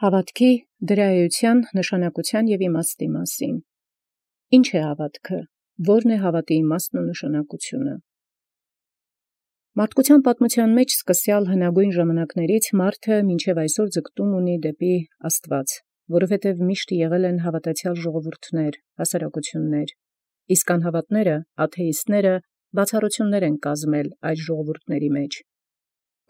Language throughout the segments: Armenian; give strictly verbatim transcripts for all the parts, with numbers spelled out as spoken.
Հաւատքի դրայութեան նշանակութեան և իմաստի մասին։ Ի՞նչ է հաւատքը, ո՞րն է հաւատի իմաստն ու նշանակութիւնը։ Մարդկութեան պատմութեան մեջ սկսեալ հնագոյն ժամանակաց մարդը մինչև այսօր ձգտում ունի դեպի Աստուած, որովհետև միշտ եղել են հաւատացեալ ժողովուրդներ, հասարակութիւններ, իսկ անհաւատները, աթեիստները բացառութիւններ են կազմել այս ժողովուրդների մեջ։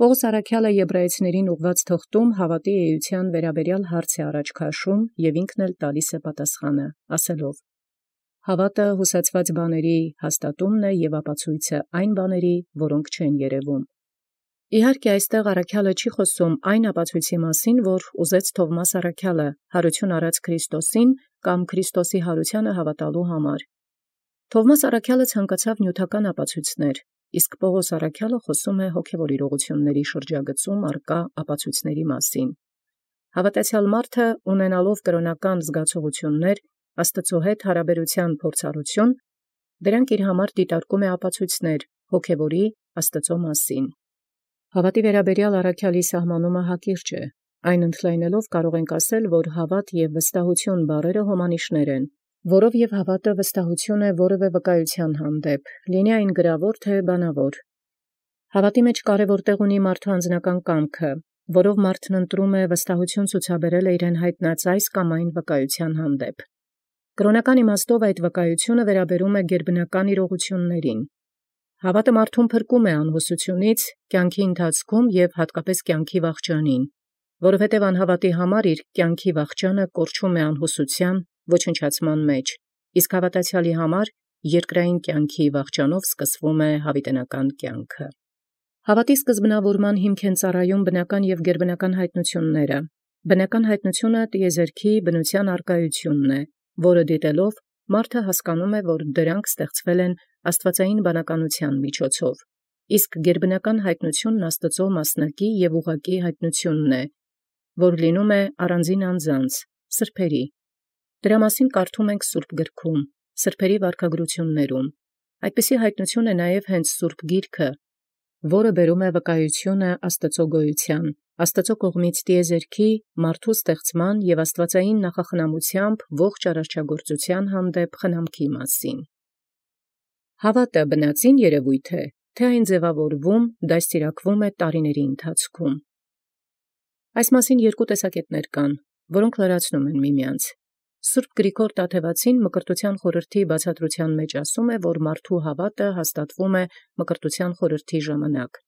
Պողոս առաքեալը Եբրայեցիներին ուղղված թղթում հաւատի էութեան վերաբերյալ հարց է առաջ քաշում և ինքն էլ տալիս է պատասխանը, ասելով. «Հաւատը յուսացեալ բաների հաստատումն է և ապացոյցը այն բաների, որոնք չեն երևում»։ Իհարկե այստեղ առաքեալը չի խոսում այն ապացոյցի մասին, որ ուզեց Թովմաս առաքեալը յարութիւն առած Քրիստոսին կամ Քրիստոսի յարութեանը հաւատալու համար։ Թովմաս առաքեալը ցանկացավ նիւթական ապացոյցներ, իսկ Պողոս առաքեալը խոսում է հոգևոր իրողութիւնների շրջագծում արկա ապացոյցների մասին։ Հաւատացեալ մարդը ունենալով կրոնական զգացողութիւններ, Աստուծոյ հետ հարաբերութեան փորձառութիւն, դրանք իր համար դիտարկում է ապացոյցներ հոգևորի Աստուծոյ մասին։ Հաւատի վերաբերյալ առաքեալի սահմանումը հակիրճ է, այն ընդլայնելով կարող ենք ասել, որ հաւատ և վստահութիւն բառերը հոմանիշներ են, որով և հաւատը վստահութիւն է որևէ վկայութեան հանդեպ, լինի այն գրաւոր թե բանաւոր։ Հաւատի մեջ կարևոր տեղ ունի մարդու անձնական կամքը, որով մարդն ընտրում է վստահութիւն ցուցաբերել իրեն յայտնած այս կամ այն վկայութեան հանդեպ։ Կրոնական իմաստով այդ վկայութիւնը վերաբերում է գերբնական իրողութիւնացն։ Հաւատը մարդուն փրկում է անհուսութիւնից կյանքի ընթացքում և հատկապես կյանքի վախճանին, որովհետև անհաւատի համար իր կյանքի վախճանը կորչում է անհուսութեան ոչնչացման մեջ, իսկ հաւատացեալի համար երկրային կյանքի վախճանով սկսվում է յաւիտենական կյանքը։ Հաւատի սկզբնաւորման հիմք են ծառայում բնական և գերբնական յայտնութիւնները։ Բնական յայտնութիւնը տիեզերքի բնութեան արկայութիւնն է, որը դիտելով մարդը հասկանում է, որ դրանք ստեղծվել են աստուածային բանականութեան միջոցով, իսկ գերբնական յայտնութիւնն Աստուծոյ մասնակի և ուղղակի յայտնութիւնն է, որ լինում է առանձին անձանց, սրբերի։ Դրա մասին կարդում ենք Սուրբ գրքում, սրբերի վարքագրութիւններում։ Այդպիսի յայտնութիւն է նաև հենց Սուրբ Գիրքը, որը բերում է վկայութիւնը Աստուծոյ գոյութեան, Աստուծոյ կողմից տիեզերքի, մարդու ստեղծման և աստուածային նախախնամութեամբ ողջ արարչագործութեան հանդեպ խնամքի մասին։ Հաւատը բնածին երևույթ է, թե այն ձևավորվում, դաստիարակվում է տարիների ընթացքում։ Այս մասին երկու տեսակետներ կան, որոնք լրացնում են միմյանց։ Սուրբ Գրիգոր Տաթևացին Մկրտութեան խորհրդի բացատրութեան մեջ ասում է, որ մարդու հաւատը հաստատվում է Մկրտութեան խորհրդի ժամանակ,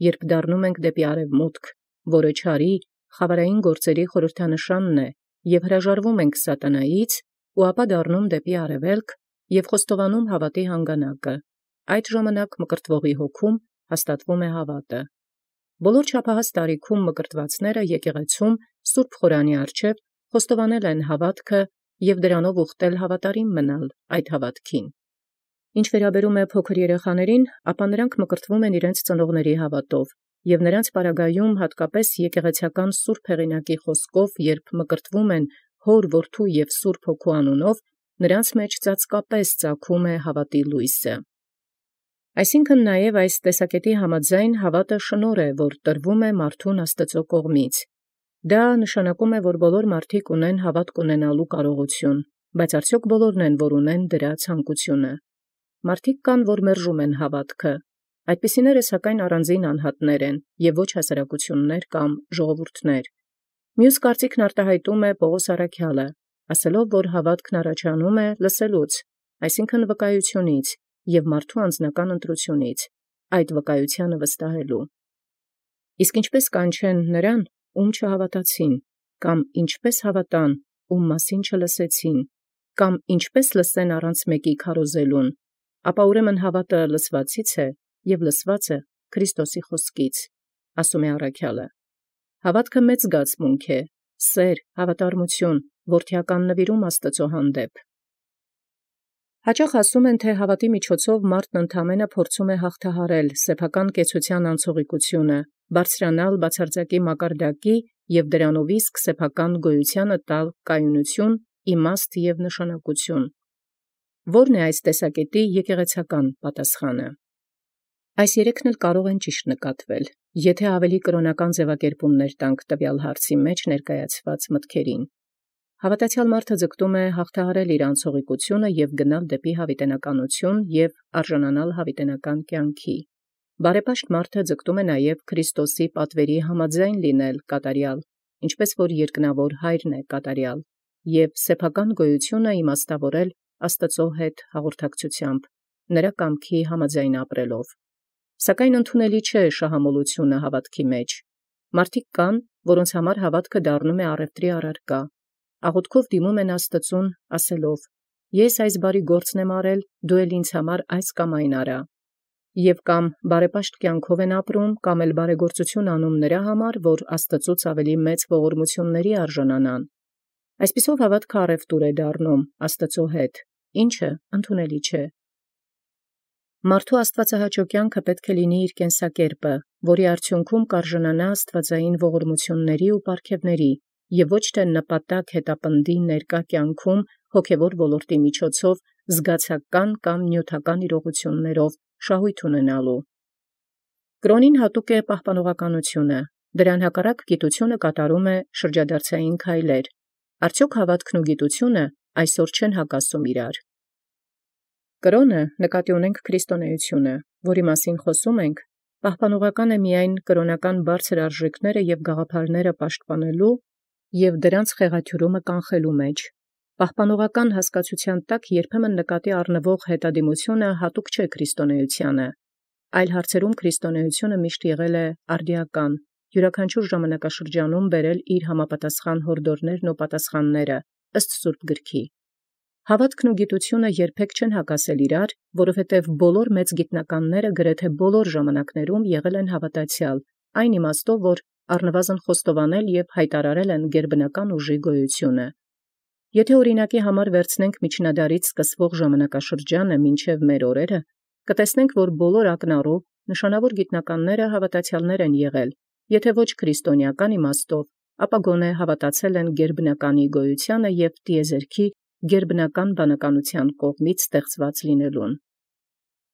երբ դառնում ենք դեպի արևմուտք, որը չարի, խավարային գործերի խորհրդանշանն է, և հրաժարվում ենք սատանայից, ու ապա դառնում դեպի արևելք և խոստովանում հաւատի հանգանակը։ Այդ ժամանակ մկրտվողի հոգում հաստատվում է հաւատը։ Բոլոր չափահաս տարիքում մկրտվածները եկեղեցում Սուրբ Խորանի առջև խոստովանել են հաւատքը և դրանով ուխտել հավատարիմ մնալ այդ հաւատքին։ Ինչ վերաբերում է փոքր երեխաներին, ապա նրանք մկրտվում են իրենց ծնողների հաւատով, և նրանց պարագայում հատկապես եկեղեցական սուրբ հեղինակի խոսքով, երբ մկրտվում են Հոր, Որդու և Սուրբ Հոգու անունով, նրանց մեջ ծածկապես ծագում է հաւատի լույսը։ Այսինքն նաև այս տեսակետի համաձայն հաւատը շնորհ է, որ տրվում է մարդուն Աստուծոյ կողմից։ Դա նշանակում է, որ բոլոր մարդիկ ունեն հաւատք ունենալու կարողութիւն, բայց արդյոք բոլորն են, որ ունեն դրա ցանկությունը։ Մարդիկ կան, որ մերժում են հաւատքը։ Այդպիսիները սակայն առանձին անհատներ են և ոչ հասարակություններ կամ ժողովուրդներ։ Մյուս կարծիքն արտահայտում է Պողոս առաքեալը, ասելով, որ հաւատքն առաջանում է լսելուց, այսինքն վկայութիւնից և մարդու անձնական ընտրութիւնից, այդ վկայութեանը վստահելու։ Իսկ ինչպէս կանչեն նրան, ում չհաւատացին, կամ ինչպէս հաւատան, ում մասին չլսեցին, կամ ինչպէս լսեն առանց մեկի քարոզելուն, ապա ուրեմն հաւատը լսուածից է, և լսուածը Քրիստոսի խոսքից, ասում է առաքեալը։ Հաւատքը մեծ զգացմունք է, սեր, հավատարմութիւն, որդիական նվիրում Աստուծոյ հանդեպ։ Հաճախ ասում են, թե հաւատի միջոցով մարդն ընդամենը փորձում է հաղթահարել սեփական կեցության անցողիկութիւնը, բարձրանալ բացարձակի մակարդակի և դրանով իսկ սեփական գոյութեանը տալ կայունութիւն, իմաստ և նշանակութիւն։ Ո՞րն է այս տեսակետի եկեղեցական պատասխանը։ Այս երեքն էլ կարող են ճիշտ նկատվել։ Եթե ավելի կրոնական ձևակերպումներ տանք տվյալ հարցի մեջ ներկայացված մտքերին, հավատացյալ մարդը ձգտում է հաղթահարել իր անցողիկությունը եւ գնալ դեպի հավիտենականություն եւ արժանանալ հավիտենական կյանքի։ Բարեպաշտ մարդը ձգտում է նաեւ Քրիստոսի պատվերի համաձայն լինել կատարյալ, ինչպես որ երկնավոր Հայրն է կատարյալ, եւ սեփական գոյությունը իմաստավորել Աստծո հետ հաղորդակցությամբ, նրա կամքի համաձայն ապրելով։ Սակայն ընդունելի չէ շահամոլությունը հավատքի մեջ։ Մարդիկ կան, որոնց համար հավատքը դառնում է առևտրի առարկա, աղոթքով դիմում են Աստծուն, ասելով. «Ես այս բարի գործն եմ արել, դու էլ ինձ համար այս կամ այն արա»։ Եւ կամ բարեպաշտ կյանքով են ապրում, կամ էլ բարեգործություն անում նրա համար, որ Աստծուց ավելի մեծ ողորմությունների արժանանան։ Այսպիսով հավատքը առևտուր է դառնում Աստծո հետ, ինչը ընդունելի չէ։ Մարդու աստվածահաճո կյանքը պետք է լինի իր կենսակերպը, որի արդյունքում կարժանանա աստվածային ողորմությունների ու պարգևների, եւ ոչ թե նպատակ հետապնդի ներկա կյանքում հոգևոր ոլորտի միջոցով զգացական կամ նյութական իրողություններով շահույթ ունենալու։ Կրոնին հատուկ է պահպանողականությունը, դրան հակառակ գիտությունը կատարում է շրջադարձային քայլեր։ Արդյոք հավատքն ու գիտությունը այսօր չեն հակասում իրար։ Կրոնը նկատի ունենք քրիստոնեությունը, որի մասին խոսում ենք, պահպանողական է միայն կրոնական բարձր արժեքները եւ գաղափարները պաշտպանելու եւ դրանց խեղաթյուրումը կանխելու մեջ։ Պահպանողական հասկացության տակ երբեմն նկատի առնվող հետադիմությունը հատուկ չէ քրիստոնեությանը, այլ հարցերում քրիստոնեությունը միշտ եղել է արդիական, յուրաքանչյուր ժամանակաշրջանում բերել իր համապատասխան հորդորներն ու պատասխանները ըստ Սուրբ Գրքի։ Հավատքն ու գիտությունը երբեք չեն հակասել իրար, որովհետև բոլոր մեծ գիտնականները գրեթե բոլոր ժամանակներում եղել են հավատացյալ, այն իմաստով, որ առնվազն խոստովանել եւ հայտարարել են գերբնական ուժի գոյությունը։ Եթե օրինակի համար վերցնենք միջնադարից սկսվող ժամանակաշրջանը մինչև մեր օրերը, կտեսնենք, որ բոլոր ակնառու նշանավոր գիտնականները հավատացյալներ են եղել, եթե ոչ քրիստոնեական իմաստով, ապա գոնե հավատացել են գերբնականի գոյությանը եւ տիեզերքի գերբնական բանականության կողմից ստեղծված լինելուն։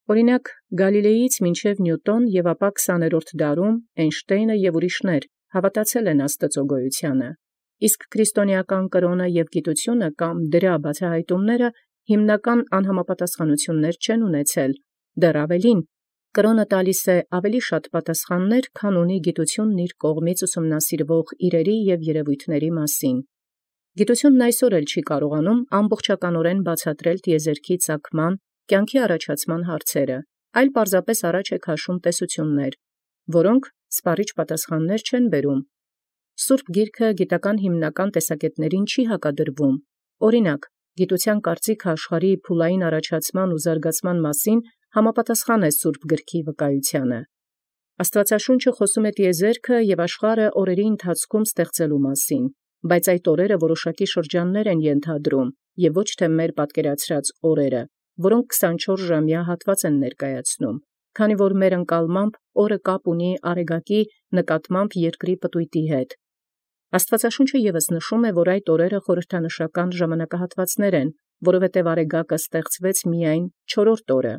Օրինակ, Գալիլեից մինչև Նյուտոն եւ ապա քսաներորդ դարում Էյնշտեյնը եւ ուրիշներ հավատացել են Աստծո գոյությանը, իսկ քրիստոնեական կրոնը եւ գիտությունը կամ դրա բացահայտումները հիմնական անհամապատասխանություններ չեն ունեցել, դեռ ավելին, կրոնը տալիս է ավելի շատ պատասխաններ, քան ունի գիտությունն իր կողմից ուսումնասիրվող իրերի եւ երևույթների մասին։ Գիտությունն այսօր էլ չի կարողանում ամբողջականորեն բացատրել տիեզերքի ծագման, կյանքի առաջացման հարցերը, այլ պարզապես առաջ է քաշում տեսություններ, որոնք սպառիչ պատասխաններ չեն բերում։ Սուրբ Գիրքը գիտական հիմնական տեսակետներին չի հակադրվում։ Օրինակ, գիտության կարծիքը աշխարհի փուլային առաջացման ու զարգացման մասին համապատասխան է Սուրբ Գրքի վկայությանը։ Աստվածաշունչը խոսում է տիեզերքը եւ աշխարհը օրերի ընթացքում ստեղծելու մասին, բայց այդ օրերը որոշակի շրջաններ են ենթադրում եւ ոչ թե մեր պատկերացրած օրերը, որոնք քսանչորս-ժամյա հատված են ներկայացնում, քանի որ մեր ընկալմամբ օրը կապ ունի արեգակի նկատմամբ երկրի պտույտի հետ։ Աստվածաշունչը եւս նշում է, որ այդ օրերը խորհրդանշական ժամանակահատվածներ են, որովհետև արեգակը ստեղծվեց միայն չորրորդ օրը։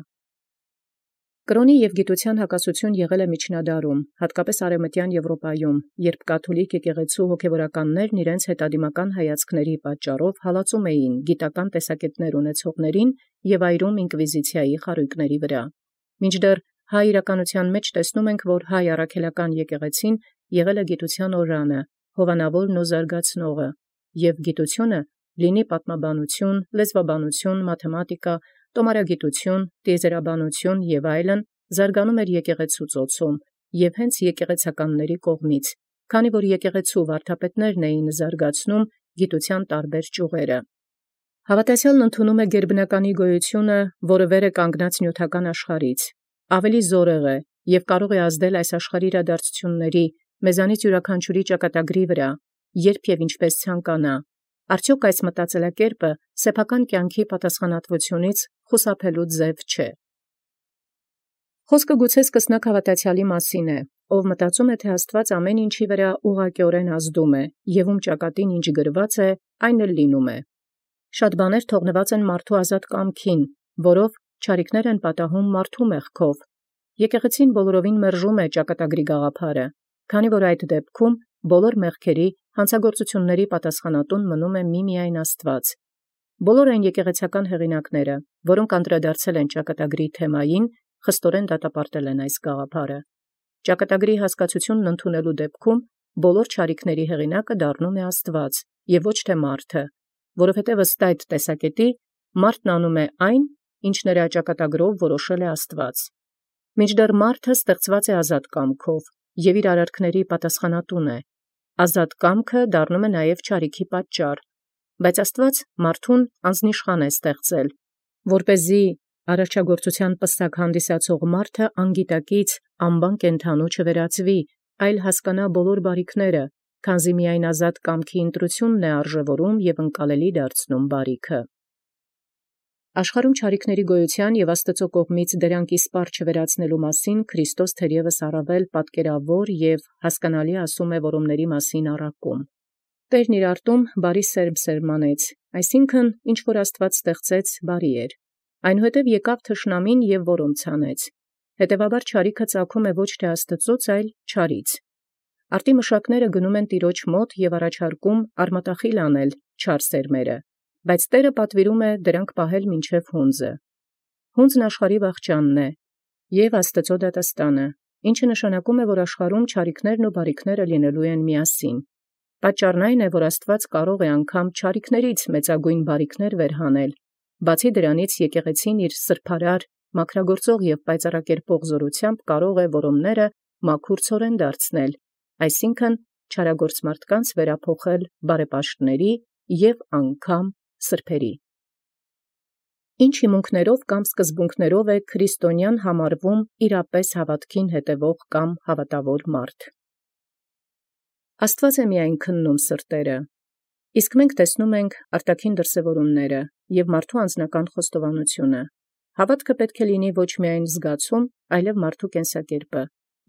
Կրոնի եւ գիտության հակասություն եղել է միջնադարում, հատկապես արևմտյան Եվրոպայում, երբ կաթոլիկ եկեղեցու հոգևորականներն իրենց հետադիմական հայացքների պատճառով հալածում էին գիտական տեսակետներ ունեցողներին եւ այրում ինկվիզիցիայի խարույկների վրա։ Մինչդեռ հայ իրականության մեջ տեսնում ենք, որ հայ առաքելական եկեղեցին եղել է գիտության օրրանը, հովանավորն ու զարգացնողը, եւ գիտությունը լինի պատմաբանություն, լեզվաբանություն, մաթեմատիկա, տոմարագիտություն, տիեզերաբանություն եւ այլն, զարգանում էր եկեղեցու ծոցում եւ հենց եկեղեցականների կողմից, քանի որ եկեղեցու վարդապետներն էին զարգացնում գիտության տարբեր ճյուղերը։ Հավատացյալն ընդունում է գերբնականի գոյությունը, որը վեր է կանգնած նյութական աշխարհից, ավելի զորեղ է եւ կարող է ազդել այս աշխարհի իրադարձությունների, մեզանից յուրաքանչյուրի ճակատագրի վրա, երբ եւ ինչպես ցանկանա։ Արդյոք այս մտածելակերպը սեփական կյանքի պատասխանատվությունից խուսափելու ձև չէ։ Խոսքը գուցե սկսնակ հավատացյալի մասին է, ով մտածում է, թե Աստված ամեն ինչի վրա ուղղակիորեն ազդում է, եւ ում ճակատին ինչ գրված է, այն էլ լինում է։ Շատ բաներ թողնված են մարդու ազատ կամքին, որով չարիքներ են պատահում մարդու մեղքով, Եկեղեցին բոլորովին մերժում է ճակատագրի գաղափարը, քանի որ այդ դեպքում բոլոր մեղքերի հանցագործությունների պատասխանատուն մնում է միմիայն Աստված։ Բոլոր այն եկեղեցական հեղինակները, որոնք անդրադարձել են ճակատագրի թեմային, խստորեն դատապարտել են այս գաղափարը։ Ճակատագրի հասկացությունն ընդունելու դեպքում բոլոր չարիքների հեղինակը դառնում է Աստված և ոչ թե մարդը, որովհետև ըստ այդ տեսակետի մարդն անում է այն, ինչ նրա ճակատագրով որոշել է Աստված։ Մինչդեռ մարդը ստեղծված է ազատ կամքով և իր արարքների պատասխանատուն է, ազատ կամքը դառնում է նաև չարիքի պատճառ, բայց Աստված մարդուն անձնիշխան է ստեղծել, որպեսզի արարչագործության պսակ հանդիսացող մարդը անգիտակից անբան կենդանու չվերածվի, այլ հասկանա բոլոր բարիքները, քանզի միայն ազատ կամքի ընտրությունն է արժևորում և ընկալելի դարձնում բարիքը։ Աշխարհում չարիքների գոյության և Աստծո կողմից դրանք իսպառ չվերածնելու մասին Քրիստոս թերևս առավել պատկերավոր և հասկանալի ասում է որոմների մասին առակում։ Տերն իր արտում բարի սերմ սերմանեց, այսինքն ինչ որ Աստված ստեղծեց բարի էր, այնուհետև եկավ թշնամին և որոմ ցանեց, հետևաբար չարիքը ծագում է ոչ թե Աստծոց, այլ չարից։ Արտի մշակները գնում են Տիրոջ մոտ և առաջարկում արմատախիլ անել չար սերմերը, բայց Տերը պատվիրում է դրանք պահել մինչև հունձը։ Հունձն աշխարհի վախճանն է և Աստծո դատաստանը, ինչը նշանակում է, որ աշխարհում չարիքներն ու բարիքները լինելու են միասին։ Պատճառն այն է, որ Աստված կարող է անգամ չարիքներից մեծագույն բարիքներ վերհանել, բացի դրանից եկեղեցին իր սրբարար, մաքրագործող և պայծառակերպող զորությամբ կարող է որոմները մաքուր դարձնել, այսինքն չարագործ մարդկանց վերափոխել բարեպաշտների և անգամ սրբերի։ Ինչ հիմունքներով կամ սկզբունքներով է քրիստոնյան համարվում իրապես հավատքին հետևող կամ հավատավոր մարդ։ Աստված է միայն քննում սրտերը, իսկ մենք տեսնում ենք արտաքին դրսևորումները և մարդու անձնական խոստովանությունը։ Հավատքը պետք է լինի ոչ միայն զգացում, այլև մարդու կենսակերպը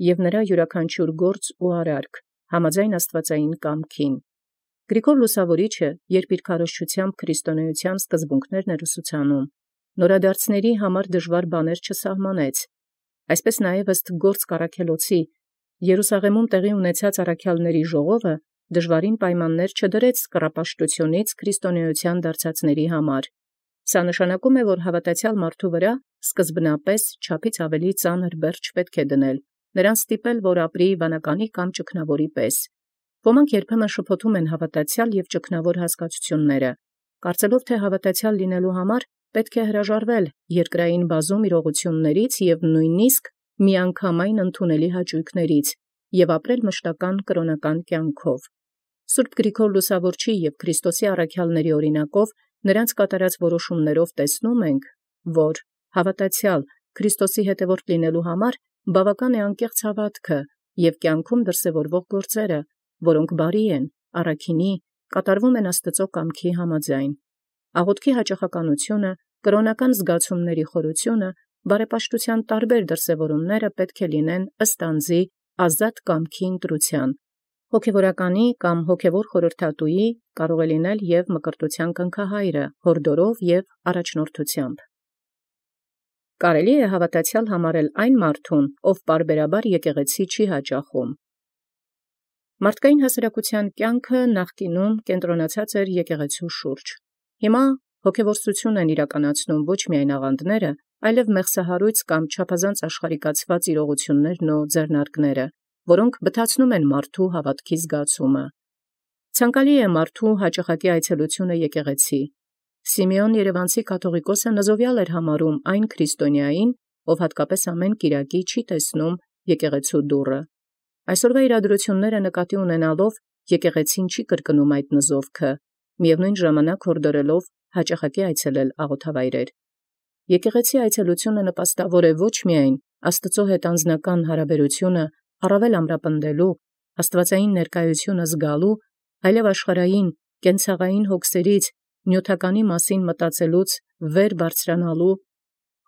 և նրա յուրաքանչյուր գործ ու արարք համաձայն աստվածային կամքին։ Գրիգոր Լուսավորիչը, երբ իր քարոզչությամբ քրիստոնեության սկզբունքներն էր ուսուցանում, նորադարձների համար դժվար բաներ չսահմանեց, այսպես նաև ըստ գործ Առաքելոցի Երուսաղեմում տեղի ունեցած առաքյալների ժողովը դժվարին պայմաններ չդրեց կռապաշտությունից քրիստոնեության դարձածների համար։ Սա նշանակում է, որ հավատացյալ մարդու վրա սկզբնապես չափից ավելի ծանր բերձ պետք է դնել, նրան ստիպել, որ ապրի վանականի կամ ճգնավորի պես։ Ոմանք երբեմն շփոթում են հավատացյալ և ճգնավոր հասկացությունները, կարծելով, թե հավատացյալ լինելու համար պետք է հրաժարվել երկրային բազում իրողություններից և նույնիսկ միանգամայն ընդունելի հաճույքներից և ապրել մշտական կրոնական կյանքով։ Սուրբ Գրիգոր Լուսավորչի և Քրիստոսի առաքյալների օրինակով նրանց կատարած որոշումներով տեսնում ենք, որ հավատացյալ Քրիստոսի հետևորդ լինելու համար բավական է անկեղծ հավատքը և կյանքում դրսևորվող գործերը, որոնք բարի են, առաքինի, կատարվում են Աստծո կամքի համաձայն։ Աղոթքի հաճախականությունը, կրոնական զգացումների խորությունը, բարեպաշտության տարբեր դրսևորումները պետք է լինեն ըստ անձի ազատ կամքի ընտրության, հոգևորականի կամ հոգևոր խորհրդատուի, կարող է լինել և մկրտության կնքահայրը, հորդորով և առաջնորդությամբ։ Կարելի է հավատացյալ համարել այն մարդուն, ով պարբերաբար եկեղեցի չի հաճախում։ Մարդկային հասարակության կյանքը նախկինում կենտրոնացած էր եկեղեցու շուրջ։ Հիմա հոգևորացություն են իրականացնում ոչ միայն աղանդները, այլև մեղսահարույց կամ չափազանց աշխարհիկացված իրողություններն ու ձեռնարկները, որոնք բթացնում են մարդու հավատքի զգացումը։ Ցանկալի է մարդու հաճախակի այցելությունը եկեղեցի։ Սիմեոն Երևանցի կաթողիկոսը նզովյալ էր համարում այն քրիստոնյային, ով հատկապես ամեն կիրակի չի տեսնում եկեղեցու դուռը։ Այսօրվա իրադրությունները նկատի ունենալով եկեղեցին չի կրկնում այդ նզովքը, միևնույն ժամանակ հորդորելով հաճախակի այցելել աղոթավայրեր։ Եկեղեցի այցելությունը նպաստավոր է ոչ միայն Աստծո հետ անձնական հարաբերությունը առավել ամրապնդելու, աստվածային ներկայությունը զգալու, այլև աշխարհային կենցաղային հոգսերից նյութականի մասին մտածելուց վեր բարձրանալու,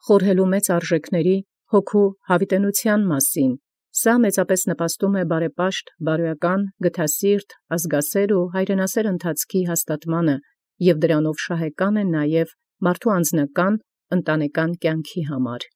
խորհելու մեծ արժեքների, հոգու հավիտենության մասին։ Սա մեծապես նպաստում է բարեպաշտ, բարոյական, գթասիրտ, ազգասեր ու հայրենասեր ընթացքի հաստատմանը և դրանով շահեկան է նաև մարդու անձնական, ընտանեկան կյանքի համար։